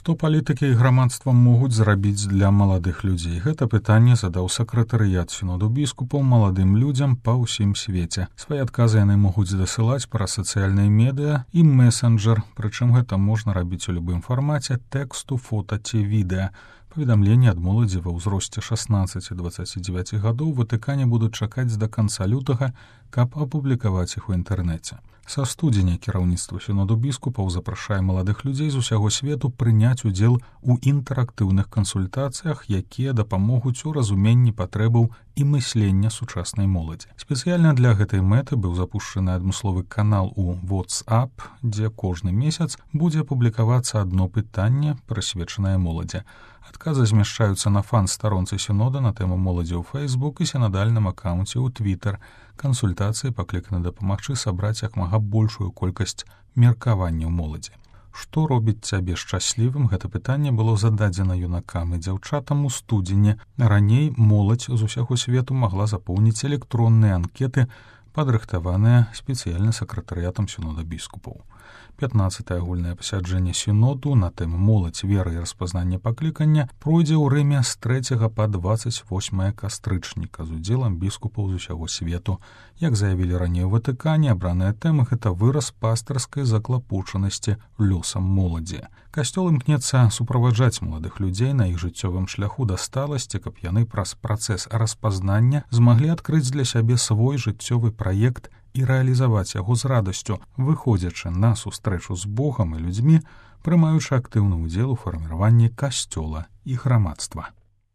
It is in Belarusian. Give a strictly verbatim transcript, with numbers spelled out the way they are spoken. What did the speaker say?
Што палітыкі і грамадства могуць зрабіць для маладых людзей? Гэта пытанне задаў сакратарыят сіноду біскупаў маладым людзям па ўсім свеце. Свае адказы яны могуць дасылаць праз сацыяльныя медыа і месенджер, прычым гэта можна рабіць у любым фармаце тэксту, фота ці відэа. Паведамленні ад моладзі ва ўзросце шаснаццаці дваццаці дзевяці гадоў Ватыкане будуць чакаць да канца лютага, каб апублікаваць іх у інтэрнэце. Са студзеня кіраўніцтва сіноду біскупаў запрашае маладых людзей з усяго свету прыняць удзел у інтэрактыўных кансультацыях, якія дапамогуць у разуменні патрэбаў і мыслення сучаснай моладзі. Спецыяльна для гэтай мэты быў запушчаны адмысловы канал у WhatsApp, дзе кожны месяц будзе публікавацца адно пытанне, прысвечанае моладзі. Адказы змяшчаюцца на фан-старонцы сінода на тэму моладзі ў Facebook і сінадальным акаунце ў Twitter. Кансультацыі пакліканы дапамагчы сабраць як мага большую колькасць меркаванняў моладзі. Што робіць цябе шчаслівым? Гэта пытанне было зададзена юнакам і дзяўчатам у студзені. Раней моладзь з усяго свету магла запоўніць электронныя анкеты, падрыхтаваныя спецыяльна сакратарыятам сінода біскупаў. пятнаццатае агульнае пасяджэнне сіноду на тэму моладзь, вера і распазнання паклікання пройдзе ў Рыме з трэцяга па дваццаць восьмае кастрычніка з удзелам біскупаў з усяго свету. Як заявілі раней у Ватыкане, абраныя тэмы — гэта выраз пастырскай заклапочанасці лёсам моладзі. Касцёл імкнецца суправаджаць маладых людзей на іх жыццёвым шляху да сталасці, каб яны праз працэс распазнання змаглі адкрыць для сябе свой жыццёвы праект і рэалізаваць яго з радасцю, выходзячы на сустрэчу з Богам і людзьмі, прымаючы актыўны ўдзел у фарміраванні касцёла і грамадства.